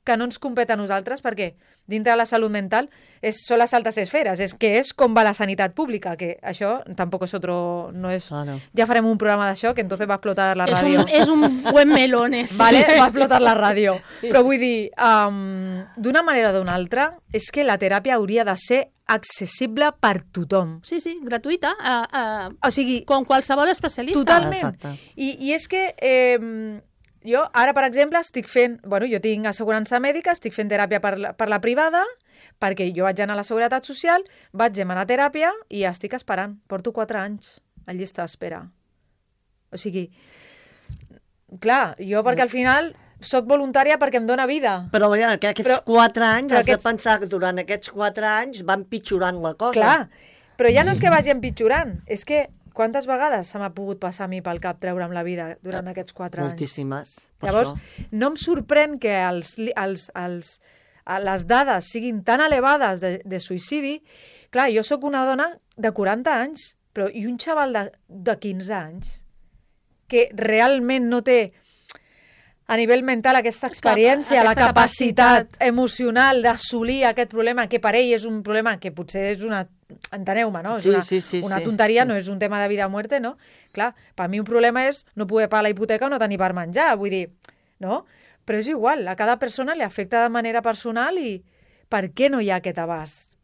que no ens compet a nosaltres perquè dintre de la salut mental és, són les altes esferes, és que és com va la sanitat pública, que això tampoc és otro... No és, Claro. ja farem un programa d'això, que entonces va explotar la És ràdio. un, és un buen melón, ese. Vale? Va explotar la ràdio. Sí. Però vull dir, um, d'una manera o d'una altra, és que la teràpia hauria de ser accessible per tothom. Sí, sí, gratuïta, a, a, O sigui, com qualsevol especialista. totalment. Exacte. I, I és que eh, jo ara, per exemple, estic fent... Bueno, jo tinc assegurança mèdica, estic fent teràpia per la, per la privada, perquè jo vaig anar a la Seguretat Social, vaig demanar teràpia i estic esperant. Porto quatre anys a llista d'espera. O sigui, clar, jo perquè al final soc voluntària perquè em dóna vida. Però ja, que aquests Però- quatre anys, però has aquests- de pensar que durant aquests quatre anys van pitjorant la cosa. Clar, però ja no és que vagi empitjorant, és que quantes vegades se m'ha pogut passar a mi pel cap treure'm la vida durant aquests quatre anys? Moltíssimes. Per Llavors, això. no em sorprèn que els, li- els, els, a les dades siguin tan elevades de, de suïcidi. Clar, jo sóc una dona de quaranta anys, però i un xaval de, de quinze anys que realment no té a nivell mental aquesta experiència, aquesta la capacitat, capacitat. emocional d'assolir aquest problema, que per ell és un problema que potser és una... Enteneu-me, no? És Sí, una, sí, sí, una sí, tonteria, sí. no és un tema de vida o muerte, no? Clar, per mi un problema és no poder pagar la hipoteca o no tenir per menjar, vull dir, no? Però és igual, a cada persona li afecta de manera personal i per què no hi ha aquest abast?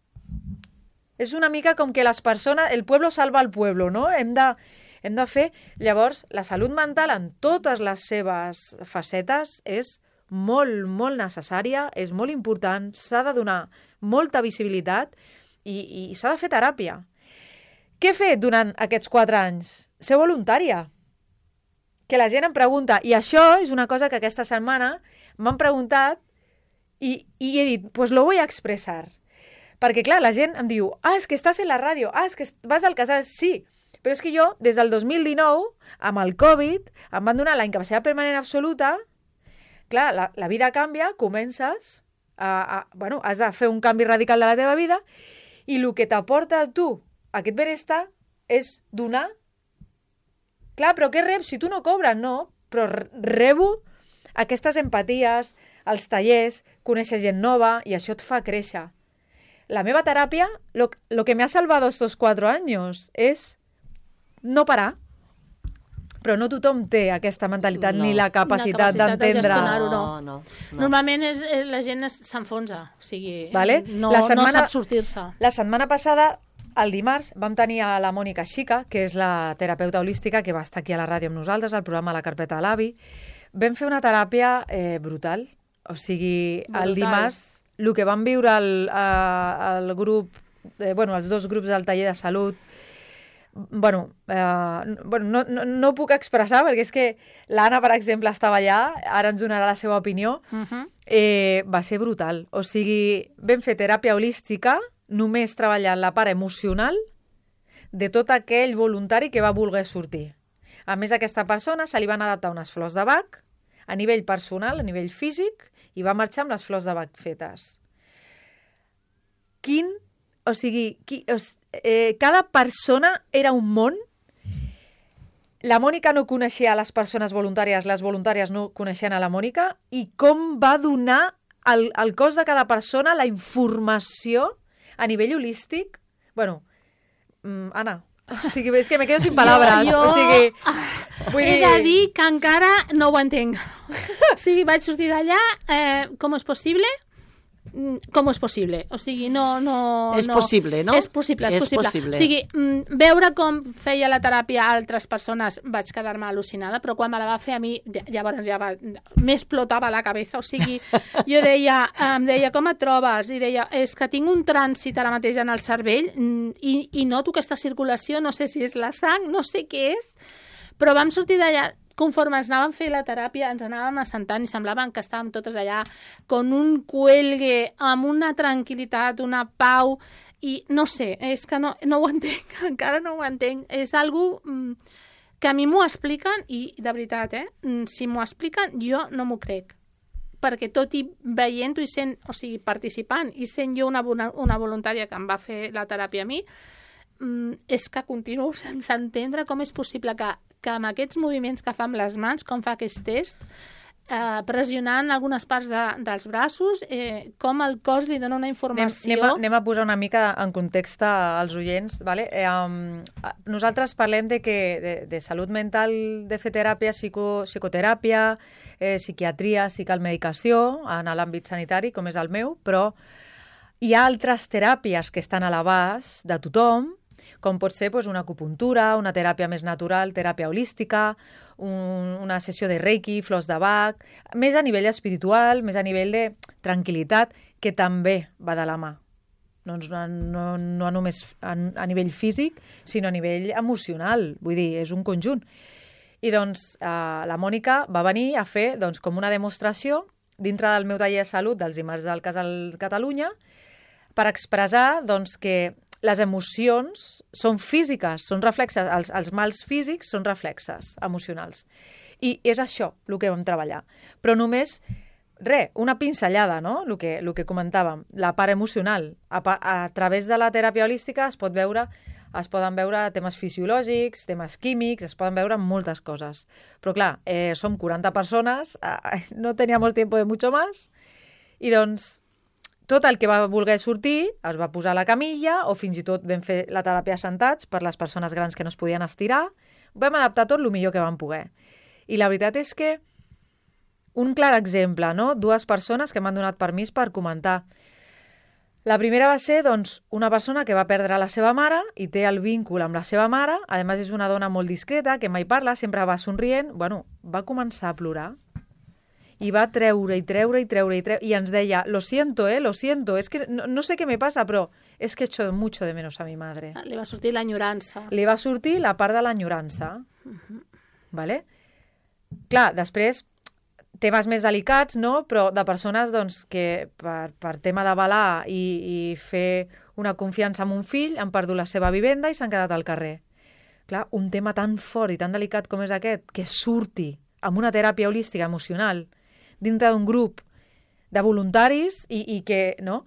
És una mica com que les persones... El pueblo salva el pueblo, no? Hem de, hem de fer... Llavors, la salut mental en totes les seves facetes és molt, molt necessària, és molt important, s'ha de donar molta visibilitat i, i s'ha de fer teràpia. Què he fet durant aquests quatre anys? Ser voluntària. Que la gent em pregunta, i això és una cosa que aquesta setmana m'han preguntat i, i he dit, pues lo voy a expresar. Perquè, clar, la gent em diu, ah, és que estàs en la ràdio, ah, és que vas al casal, sí. Però és que jo, des del dos mil dinou, amb el Covid, em van donar la incapacitat permanent absoluta. Clar, la, la vida canvia, comences, a, a, bueno, has de fer un canvi radical de la teva vida i el que t'aporta a tu aquest benestar és donar. Clar, però què reps? Si tu no cobres, no. Però rebo aquestes empaties, els tallers, conèixer gent nova i això et fa créixer. La meva teràpia, lo, lo que me ha salvado estos cuatro años és no parar. Però no tothom té aquesta mentalitat No. ni la capacitat, La capacitat de d'entendre. gestionar-ho. No, no. no, no. Normalment és, eh, la gent es- s'enfonsa, o sigui, Vale? no, La no setmana- sap sortir-se. La setmana passada, el dimarts, vam tenir a la Mònica Xica, que és la terapeuta holística que va estar aquí a la ràdio amb nosaltres, al programa La Carpeta de l'Avi. Vam fer una teràpia eh, brutal. O sigui, Brutal. el dimarts, el que vam viure el, a, el grup, eh, bueno, els dos grups del taller de salut, bueno, eh, bueno no, no, no ho puc expressar perquè és que l'Anna, per exemple, estava allà, ara ens donarà la seva opinió, Uh -huh. eh, va ser brutal. O sigui, vam fer teràpia holística, només treballant la part emocional de tot aquell voluntari que va voler sortir. A més, a aquesta persona se li van adaptar unes flors de Bach a nivell personal, a nivell físic, i va marxar amb les flors de Bach fetes. Quin... O sigui, qui, o, eh, cada persona era un món. La Mònica no coneixia a les persones voluntàries, les voluntàries no coneixien a la Mònica, i com va donar al, al cos de cada persona la informació a nivell holístic. Bueno, mm, Anna, o sigui, és que me quedo sin palabras. Jo- o sigui, vull He dir... de dir que encara no ho entenc. O sigui, vaig sortir d'allà, eh, com és possible? Mm, Com és possible? O sigui, no... no És no. possible, no? És possible, és, És possible. possible. O sigui, mm, veure com feia la teràpia a altres persones vaig quedar-me al·lucinada, però quan me la va fer a mi, ja- llavors ja va, m'explotava la cabeza. O sigui, jo deia, em deia, com et trobes? I deia, és que tinc un trànsit ara mateix en el cervell mm, i, i noto aquesta circulació, no sé si és la sang, no sé què és, però vam sortir d'allà, conforme ens anàvem a fer la teràpia, ens anàvem assentant i semblaven que estàvem totes allà con un cuelgue, amb una tranquil·litat, una pau, i no sé, és que no, no ho entenc, encara no ho entenc. És algo mm, que a mi m'ho expliquen, i de veritat, eh, si m'ho expliquen, jo no m'ho crec. Perquè tot i veient-ho i sent, o sigui, participant, i sent jo una, una voluntària que em va fer la teràpia a mi, és que continuo sense entendre com és possible que, que amb aquests moviments que fa amb les mans, com fa aquest test, eh, pressionant algunes parts de, dels braços, eh, com el cos li dona una informació... Anem, anem, a, anem a posar una mica en context als oients. Vale? Eh, um, nosaltres parlem de, que, de, de salut mental, de fer teràpia, psico, psicoteràpia, eh, psiquiatria, psicomedicació, en l'àmbit sanitari, com és el meu, però hi ha altres teràpies que estan a l'abast de tothom, com pot ser doncs, una acupuntura, una teràpia més natural, teràpia holística, un, una sessió de reiki, flors de Bach, més a nivell espiritual, més a nivell de tranquil·litat, que també va de la mà. No, no, no només a, a nivell físic, sinó a nivell emocional. Vull dir, és un conjunt. I doncs eh, la Mònica va venir a fer doncs, com una demostració dintre del meu taller de salut dels dimarts del Casal Catalunya per expressar doncs, que les emocions són físiques, són reflexes, els, els mals físics són reflexes emocionals. I és això el que vam treballar. Però només, res, una pinzellada, no? El que, el que comentàvem, la part emocional. A, a través de la teràpia holística es pot veure, es poden veure temes fisiològics, temes químics, es poden veure moltes coses. Però clar, eh, som quaranta persones, eh, no teníamos tiempo de mucho más, i doncs tot el que va voler sortir es va posar a la camilla o fins i tot vam fer la teràpia sentats per les persones grans que no es podien estirar. Vam adaptar tot el millor que vam poder. I la veritat és que un clar exemple, no? Dues persones que m'han donat permís per comentar. La primera va ser doncs, una persona que va perdre la seva mare i té el víncle amb la seva mare. A més, és una dona molt discreta, que mai parla, sempre va somrient. Bueno, va començar a plorar. I va treure i treure i treure i treure i ens deia, lo siento, eh, lo siento, es que no, no sé què me pasa, però és que echo mucho de menos a mi madre. Li va sortir l'enyorança. Li va sortir la part de l'enyorança. Uh-huh. Vale? Clar, després, temes més delicats, no? Però de persones doncs, que per, per tema d'avalar i, i fer una confiança en un fill han perdut la seva vivenda i s'han quedat al carrer. Clar, un tema tan fort i tan delicat com és aquest, que surti amb una teràpia holística emocional dintre d'un grup de voluntaris i, i que, no?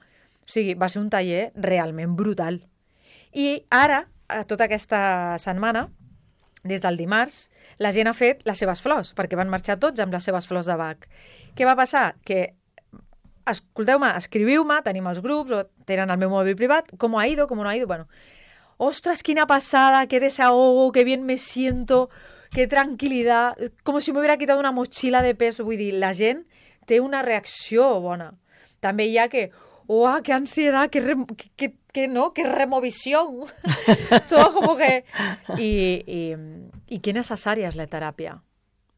O sigui, va ser un taller realment brutal. I ara, tota aquesta setmana, des del dimarts, la gent ha fet les seves flors, perquè van marxar tots amb les seves flors de Bach. Què va passar? Que, escolteu-me, escriviu-me, tenim els grups, o tenen el meu mòbil privat, com ha ido, com no ha ido, bueno. Ostras, quina passada, qué desahogo, qué bien me siento... Qué tranquil·litat, com si m'hubiera quitat una motxilla de pes. Vull dir, la gent té una reacció bona. També hi ha que, oh, qué ansiedad, qué, re, qué, qué, no, qué removisión. Todo como que... I, i, i qué necessària és la teràpia.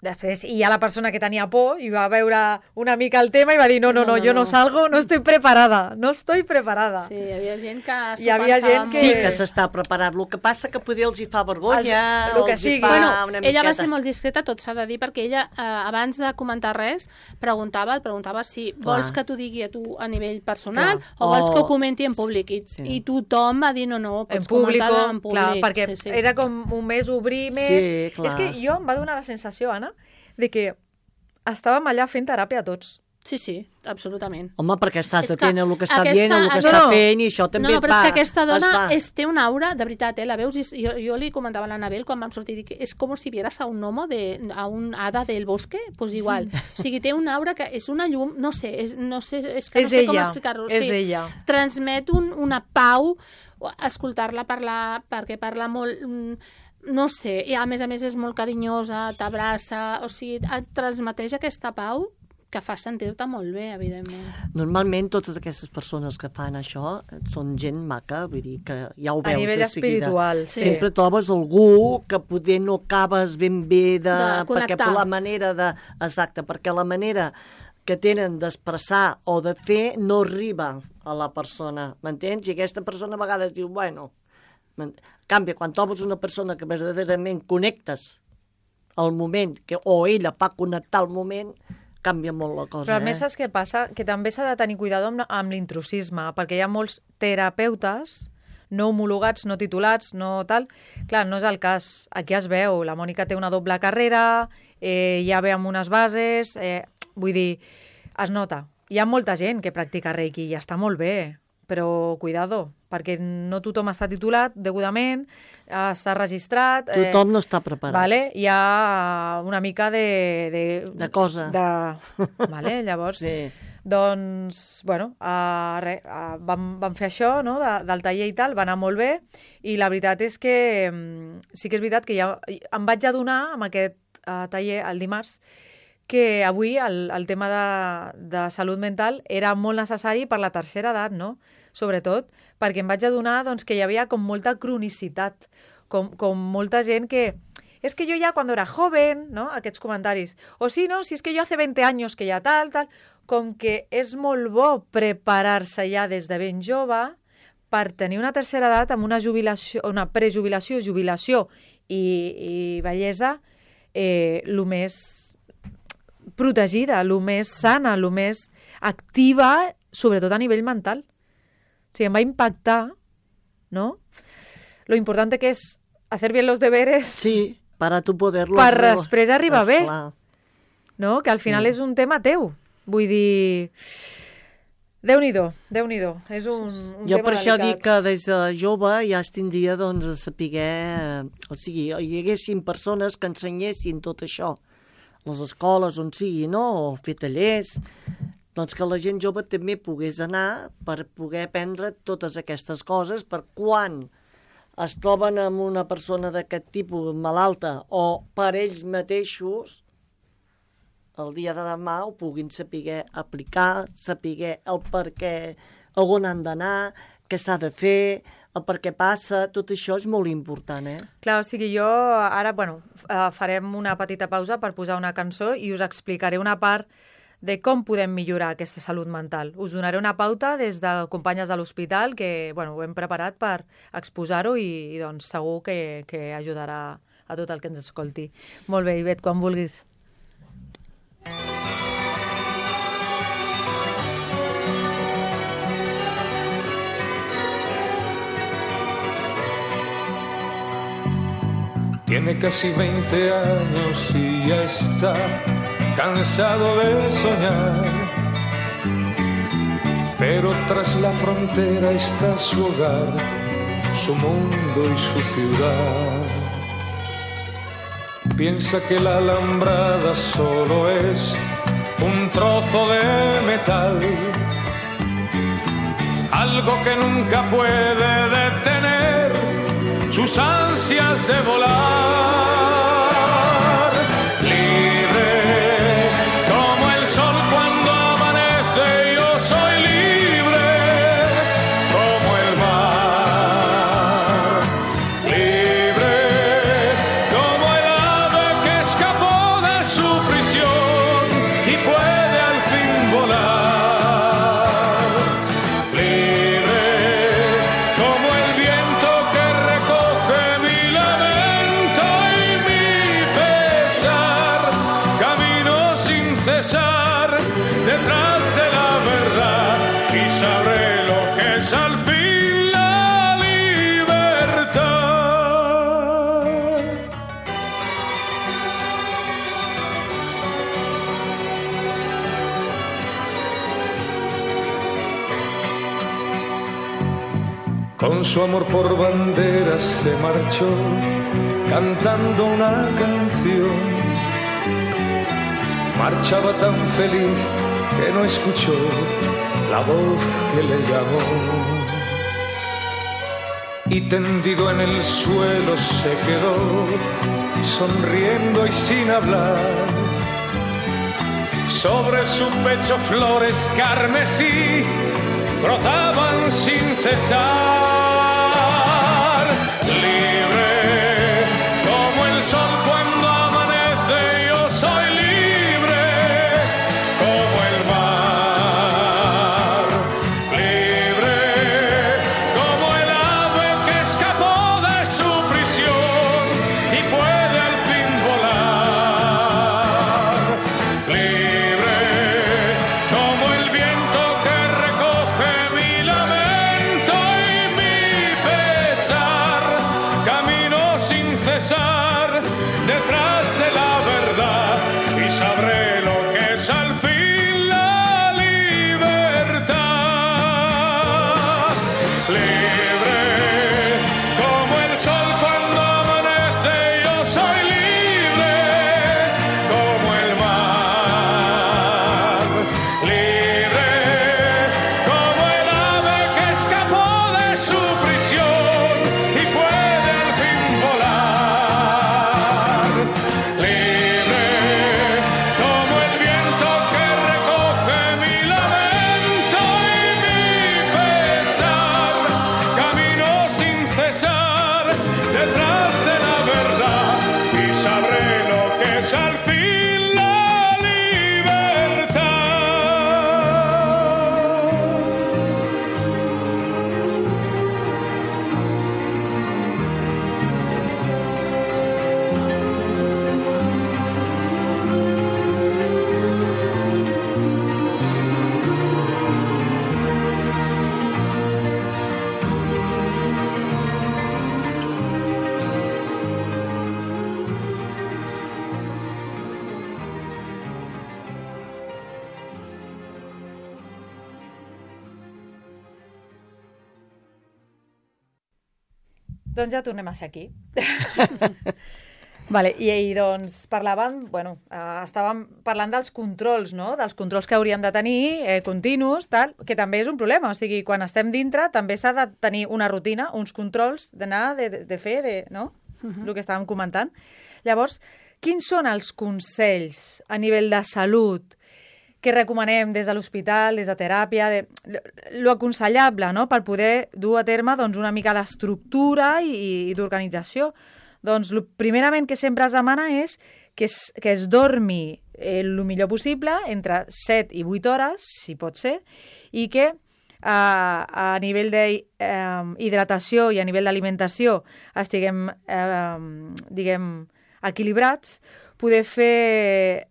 Després hi ha la persona que tenia por i va veure una mica el tema i va dir no, no, no, no, no jo no, no salgo, no estoy preparada, no estoy preparada. Sí, hi havia gent que s'ho hi havia gent que... Sí, que s'està preparat. El que passa que potser els hi fa vergonya, el, el que els hi sigui. fa bueno, una ella miqueta. va ser molt discreta, tot s'ha de dir, perquè ella, eh, abans de comentar res, preguntava, el preguntava si Clar. vols que t'ho digui a tu a nivell personal Clar. o vols O- que ho comenti en públic. I, Sí. i tothom va dir no, no, pots En públic, comentar en públic. clar, perquè sí, sí. era com un mes obrir més. Sí, clar. És que jo em va donar la sensació, Anna, de que estàvem allà fent teràpia tots. Sí, sí, absolutament. Home, perquè estàs És que atent a el que està aquesta- dient, a el que no, està no. fent, i això també no, no, et però va... és que aquesta dona es va. és, té una aura, de veritat, eh, la veus, i jo, jo li comentava a l'Anabel quan vam sortir, dic, és com si vieras a un gnomo, de, a un hada del bosque, pues igual. O sigui, té una aura que és una llum, no sé, és, no sé, és que no És sé com ella, explicar-ho. és sí, ella. Transmet un, una pau, escoltar-la parlar, perquè parla molt... mm, no sé, i a més a més és molt carinyosa, t'abraça, o sigui, et transmeteix aquesta pau que fa sentir-te molt bé, evidentment. Normalment totes aquestes persones que fan això són gent maca, vull dir que ja ho A veus nivell de seguida. espiritual, sí. Sempre trobes algú que poder no acabes ben bé de... De perquè connectar. per la manera de... Exacte, perquè la manera que tenen d'expressar o de fer no arriba a la persona, m'entens? I aquesta persona a vegades diu, bueno... En canvi, quan trobes una persona que verdaderament connectes al moment, que, o ella fa connectar al moment, canvia molt la cosa. Però a més eh? saps què passa? Que també s'ha de tenir cuidado amb, amb l'intrusisme, perquè hi ha molts terapeutes, no homologats, no titulats, no tal. Clar, no és el cas. Aquí es veu, la Mònica té una doble carrera, eh, ja ve amb unes bases, eh, vull dir, es nota. Hi ha molta gent que practica Reiki i està molt bé, però cuidado, perquè no tothom està titulat degudament, està registrat... Eh, tothom no està preparat. Vale? Hi ha una mica de... De, de cosa. De, vale? Llavors, sí. Doncs, bueno, uh, re, uh, vam, vam fer això, no?, de, del taller i tal, va anar molt bé, i la veritat és que um, sí que és veritat que ja em vaig adonar amb aquest uh, taller el dimarts que avui el, el tema de, de salut mental era molt necessari per la tercera edat, no?, sobretot, perquè em vaig adonar doncs, que hi havia com molta cronicitat, com, com molta gent que... És que jo ja quan era joven, no?, aquests comentaris. O sí, no, si és que jo hace veinte años que ja tal, tal... Com que és molt bo preparar-se ja des de ben jove per tenir una tercera edat amb una jubilació, una prejubilació, jubilació i, i bellesa eh, el més protegida, el més sana, el més activa, sobretot a nivell mental. O sigui, em va impactar, ¿no? Lo importante que es hacer bien los deberes... Sí, para tu poderlo... Per després arribar bé, no? Que al final sí. És un tema teu. Vull dir... Déu-n'hi-do, Déu-n'hi-do. És un, un jo tema per això delicat. dic que des de jove ja es tindria doncs, a saber... O sigui, hi haguessin persones que ensenyessin tot això. Les escoles, on sigui, no? O fer tallers. Doncs que la gent jove també pogués anar per poder aprendre totes aquestes coses per quan es troben amb una persona d'aquest tipus malalta o per ells mateixos el dia de demà ho puguin saber aplicar, saber el per què, on han d'anar, què s'ha de fer, el per què passa, tot això és molt important, eh? Clar, o sigui, jo ara, bueno, farem una petita pausa per posar una cançó i us explicaré una part de com podem millorar aquesta salut mental. Us donaré una pauta des de companyes de l'hospital que, bueno, ho hem preparat per exposar-ho i, i doncs segur que, que ajudarà a tot el que ens escolti. Molt bé, Ivet, quan vulguis. Tiene casi veinte años y ya está cansado de soñar, pero tras la frontera está su hogar, su mundo y su ciudad. Piensa que la alambrada solo es un trozo de metal, algo que nunca puede detener sus ansias de volar, libre como el sol cuando amanece. Yo soy libre como el mar, libre como el ave que escapó de su prisión y puede al fin volar, libre como el viento que detrás de la verdad y sabré lo que es al fin la libertad. Con su amor por bandera se marchó cantando una canción. Marchaba tan feliz que no escuchó la voz que le llamó. Y tendido en el suelo se quedó, sonriendo y sin hablar. Sobre su pecho flores carmesí brotaban sin cesar. Libre como el sol cuando amanece, yo soy libre como el mar, libre como el ave que escapó de su prisión y puede al fin volar, libre como el viento que recoge mi lamento y mi es al fin la libertad. Doncs ja tornem a ser aquí. Vale, i, i doncs parlàvem, bueno, eh, estàvem parlant dels controls, no? Dels controls que hauríem de tenir, eh, continus, tal, que també és un problema. O sigui, quan estem dintre també s'ha de tenir una rutina, uns controls d'anar, de, de, de fer, de, no? Uh-huh. El que estàvem comentant. Llavors, quins són els consells a nivell de salut que recomanem des de l'hospital, des de teràpia, de, lo aconsellable, no?, per poder dur a terme doncs, una mica d'estructura i, i d'organització? Doncs, lo, primerament, que sempre es demana és que es, que es dormi el millor possible, entre set i vuit hores, si pot ser, i que eh, a nivell d'hidratació eh, i a nivell d'alimentació estiguem, eh, diguem, equilibrats, poder fer...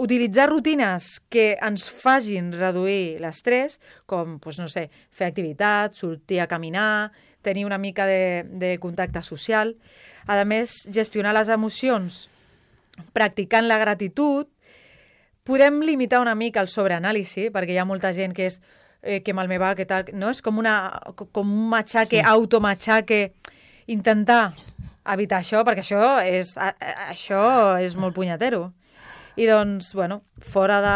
utilitzar rutines que ens facin reduir l'estrès, com, doncs, no sé, fer activitat, sortir a caminar, tenir una mica de, de contacte social. A més, gestionar les emocions practicant la gratitud. Podem limitar una mica el sobreanàlisi, perquè hi ha molta gent que és eh, que mal me va, que tal... No? És com, una, com un matxaque, sí. automatxaque. Intentar evitar això, perquè això és, això és molt punyetero. I doncs, bueno, fora de...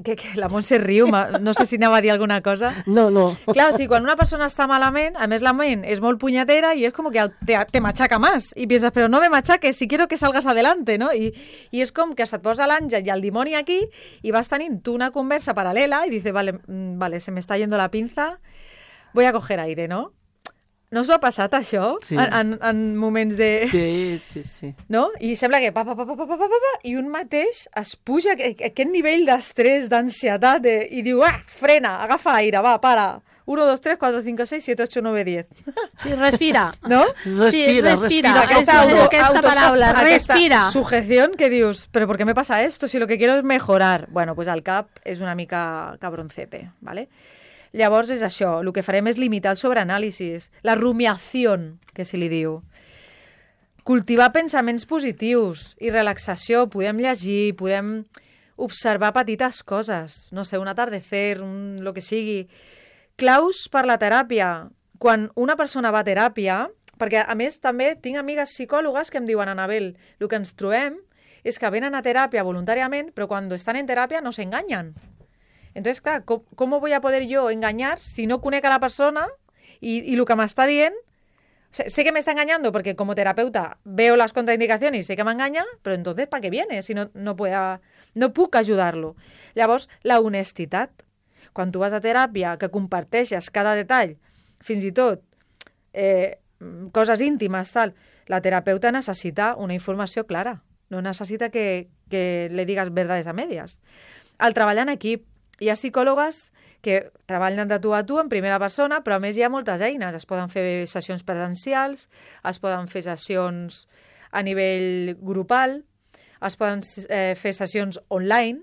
Que, que la Montse riu, no sé si anava a dir alguna cosa. No, no. Clar, o sigui, quan una persona està malament, a més la ment és molt punyetera i és com que te, te machaca más. I piensas, però no me machaques, si quiero que salgas adelante, no? I, i és com que se't posa l'àngel i el dimoni aquí i vas tenint tu una conversa paral·lela i dices, vale, vale, se me está yendo la pinza, voy a coger aire, no? No us ho ha passat, això? Sí. En, en, en moments de... Sí, sí, sí. No? I sembla que pa, pa, pa, pa, pa, pa, pa, pa, i un mateix es puja aquest nivell d'estrès, d'ansietat, de, i diu, ah, frena, agafa aire, va, para. uno, dos, tres, cuatro, cinco, seis, siete, ocho, nueve, diez. Sí, respira. No? Respira, sí, respira. respira. Aquesta, auto, aquesta auto, paraula, respira. Sujeción que dius, pero ¿por qué me pasa esto? Si lo que quiero es mejorar. Bueno, pues el cap és una mica cabroncete, ¿vale? Llavors és això, el que farem és limitar el sobreanàlisis, la rumiació, que se li diu. Cultivar pensaments positius i relaxació, podem llegir, podem observar petites coses, no sé, un atardecer, un, lo que sigui. Claus per la teràpia. Quan una persona va a teràpia, perquè a més també tinc amigues psicòlogues que em diuen, Anabel, el que ens trobem és que venen a teràpia voluntàriament, però quan estan en teràpia no s'enganyen. Entonces, clar, ¿cómo, ¿cómo voy a poder yo engañar si no conec a la persona y, y lo que me está dient? Sé, sé que me está engañando porque como terapeuta veo las contraindicaciones y sé que m'enganya, però entonces, ¿para qué viene? Si no, no, pueda, no puc ajudar-lo. Llavors, la honestitat. Quan tu vas a teràpia, que comparteixes cada detall, fins i tot eh, coses íntimes, tal, la terapeuta necessita una informació clara. No necessita que, que le digues verdades a medias. Al treballar en equip, hi ha psicòlogues que treballen de tu a tu en primera persona, però a més hi ha moltes eines. Es poden fer sessions presencials, es poden fer sessions a nivell grupal, es poden eh, fer sessions online.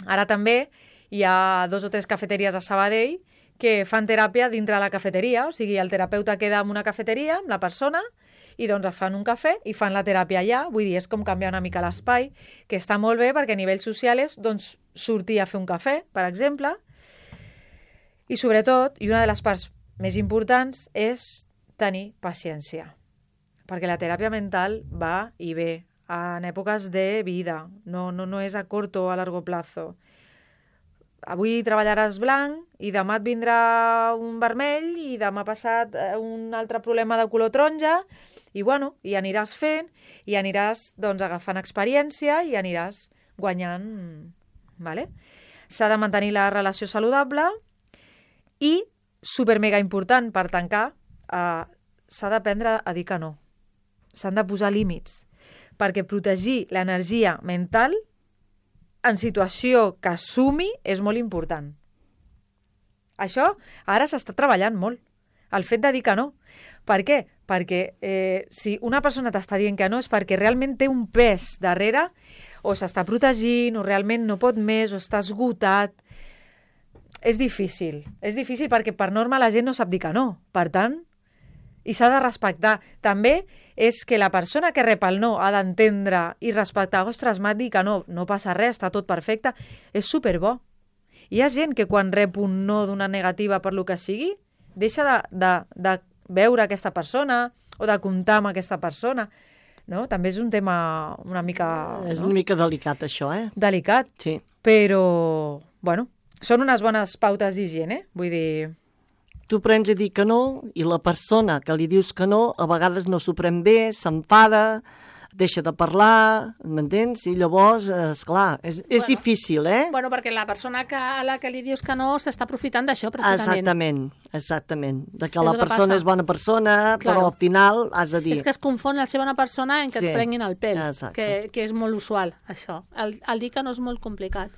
Ara també hi ha dos o tres cafeteries a Sabadell que fan teràpia dintre de la cafeteria, o sigui, el terapeuta queda en una cafeteria amb la persona i doncs es fan un cafè i fan la teràpia allà. Vull dir, és com canviar una mica l'espai, que està molt bé perquè a nivell social és doncs, sortir a fer un cafè, per exemple. I sobretot, i una de les parts més importants, és tenir paciència. Perquè la teràpia mental va i ve en èpoques de vida, no, no, no és a curt o a largo plazo. Avui treballaràs blanc i demà et vindrà un vermell i demà passat un altre problema de color taronja i, bueno, i aniràs fent i aniràs doncs, agafant experiència i aniràs guanyant. Vale? S'ha de mantenir la relació saludable i, super mega important per tancar, eh, s'ha d'aprendre a dir que no. S'han de posar límits. perquè protegir l'energia mental en situació que sumi és molt important. Això ara s'està treballant molt, el fet de dir que no. Per què? Perquè eh, si una persona t'està dient que no és perquè realment té un pes darrere, o s'està protegint, o realment no pot més, o està esgotat. És difícil. És difícil perquè per norma la gent no sap dir que no. Per tant, i s'ha de respectar. També és que la persona que rep el no ha d'entendre i respectar. Ostres, m'ha dit que no, no passa res, està tot perfecte. És superbo. Hi ha gent que quan rep un no d'una negativa per lo que sigui, deixa de, de, de veure aquesta persona o de comptar amb aquesta persona. No? També és un tema una mica... És no? una mica delicat, això, eh? Delicat, Sí. però, bueno, són unes bones pautes d'higiene, vull dir... Tu prens a dir que no i la persona que li dius que no a vegades no s'ho pren bé, s'enfada, deixa de parlar, m'entens? I llavors, esclar, és, és Bueno. difícil, eh? Bueno, perquè la persona que, a la que li dius que no s'està aprofitant d'això, precisament. Exactament, exactament. De que És la el que persona passa. és bona persona, Claro. però al final has de dir... És que es confon el ser bona persona en que Sí, et prenguin el pèl, exacte. que, que és molt usual, això. El, el dir que no és molt complicat.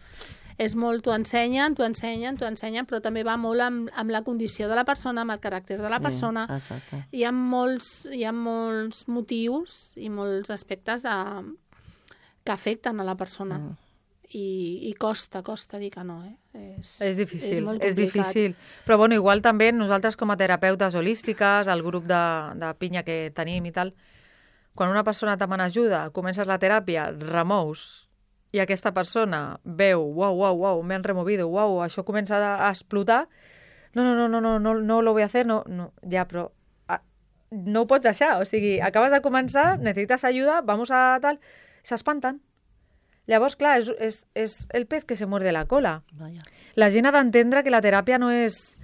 És molt, t'ho ensenyen, t'ho ensenyen, t'ho ensenyen, però també va molt amb, amb la condició de la persona, amb el caràcter de la persona. Eh, exacte. Hi ha molts, hi ha molts motius i molts aspectes de, que afecten a la persona. Mm. I, I costa, costa dir que no, eh? És, És difícil, és molt és complicat. difícil. Però bueno, igual també nosaltres com a terapeutes holístiques, el grup de, de pinya que tenim i tal, quan una persona te demana ajuda, comences la teràpia, remous, i aquesta persona veu, uau, uau, uau, me han removido, uau, això comença a explotar, no, no, no, no, no, no, no lo voy a hacer, no, no, ja, però ah, no ho pots deixar, o sigui, acabes de començar, necessites ajuda, vamos a tal, s'espanten. Llavors, clar, és, és, és el pez que se muerde la cola. Vaja. La gent ha d'entendre que la teràpia no és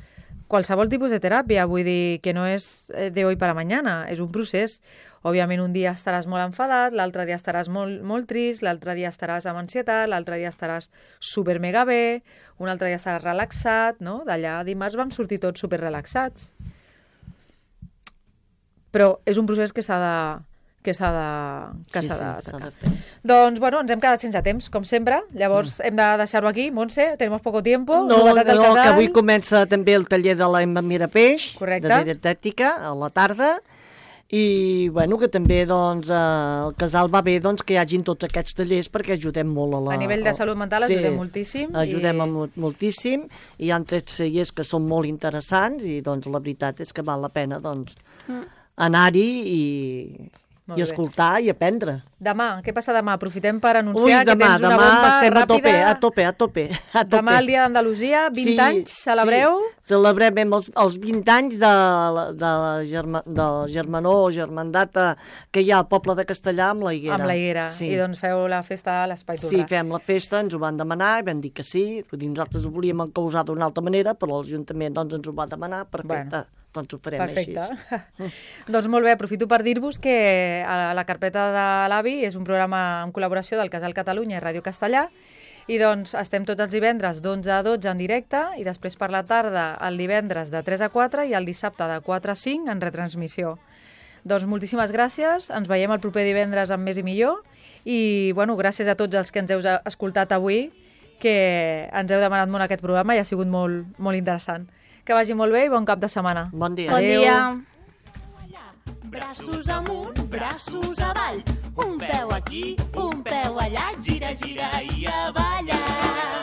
qualsevol tipus de teràpia, vull dir que no és de hoy para mañana, és un procés. Òbviament un dia estaràs molt enfadat, l'altre dia estaràs molt, molt trist, l'altre dia estaràs amb ansietat, l'altre dia estaràs super mega bé, un altre dia estaràs relaxat, no? D'allà dimarts vam sortir tots super relaxats. Però és un procés que s'ha de que s'ha de que Sí, s'ha sí, d'atacar. s'ha de fer. Doncs, bueno, ens hem quedat sense temps, com sempre. Llavors, hem de deixar-ho aquí. Montse, tenemos poco tiempo. No, Novetats del no, que casal. avui comença també el taller de l'Emma Mirapeix, Correcte. de dietètica, a la tarda, i bueno, que també doncs, eh, el casal va bé doncs, que hi hagin tots aquests tallers perquè ajudem molt a la... A nivell de salut mental ajudem moltíssim Ajudem i- i... molt, moltíssim, i hi ha tres tallers que són molt interessants i doncs la veritat és que val la pena doncs, Mm. anar-hi i, Molt i bé. escoltar i aprendre. Demà, què passa demà? Aprofitem per Ui, anunciar que demà, tens una demà bomba estem a tope, ràpida. a tope, a tope, a tope. Demà el dia d'Andalusia, vint anys, celebreu? Sí, celebrem els, els vint anys de, la- de, la germa, del germanor o germandat eh, que hi ha al poble de Castellà amb la Higuera. Amb la Higuera. Sí. I doncs feu la festa a l'Espai Sí, Torrà. fem la festa, ens ho van demanar i vam dir que sí. Vull dir, nosaltres ho volíem encausar d'una altra manera, però l'Ajuntament doncs, ens ho va demanar, perfecte, Bueno. doncs ho farem Perfecte. així. Doncs molt bé, aprofito per dir-vos que a la carpeta de l'Avi és un programa en col·laboració del Casal Catalunya i Ràdio Castellà, i doncs estem tots els divendres d'onze a dotze en directe i després per la tarda el divendres de tres a quatre i el dissabte de quatre a cinc en retransmissió. Doncs moltíssimes gràcies, ens veiem el proper divendres amb més i millor i bueno, gràcies a tots els que ens heu escoltat avui, que ens heu demanat molt aquest programa i ha sigut molt, molt interessant. Que vagi molt bé i bon cap de setmana. Bon dia. Bon Adéu. dia. Braços amunt, braços avall, un peu aquí, un peu allà, gira, gira i a ballar.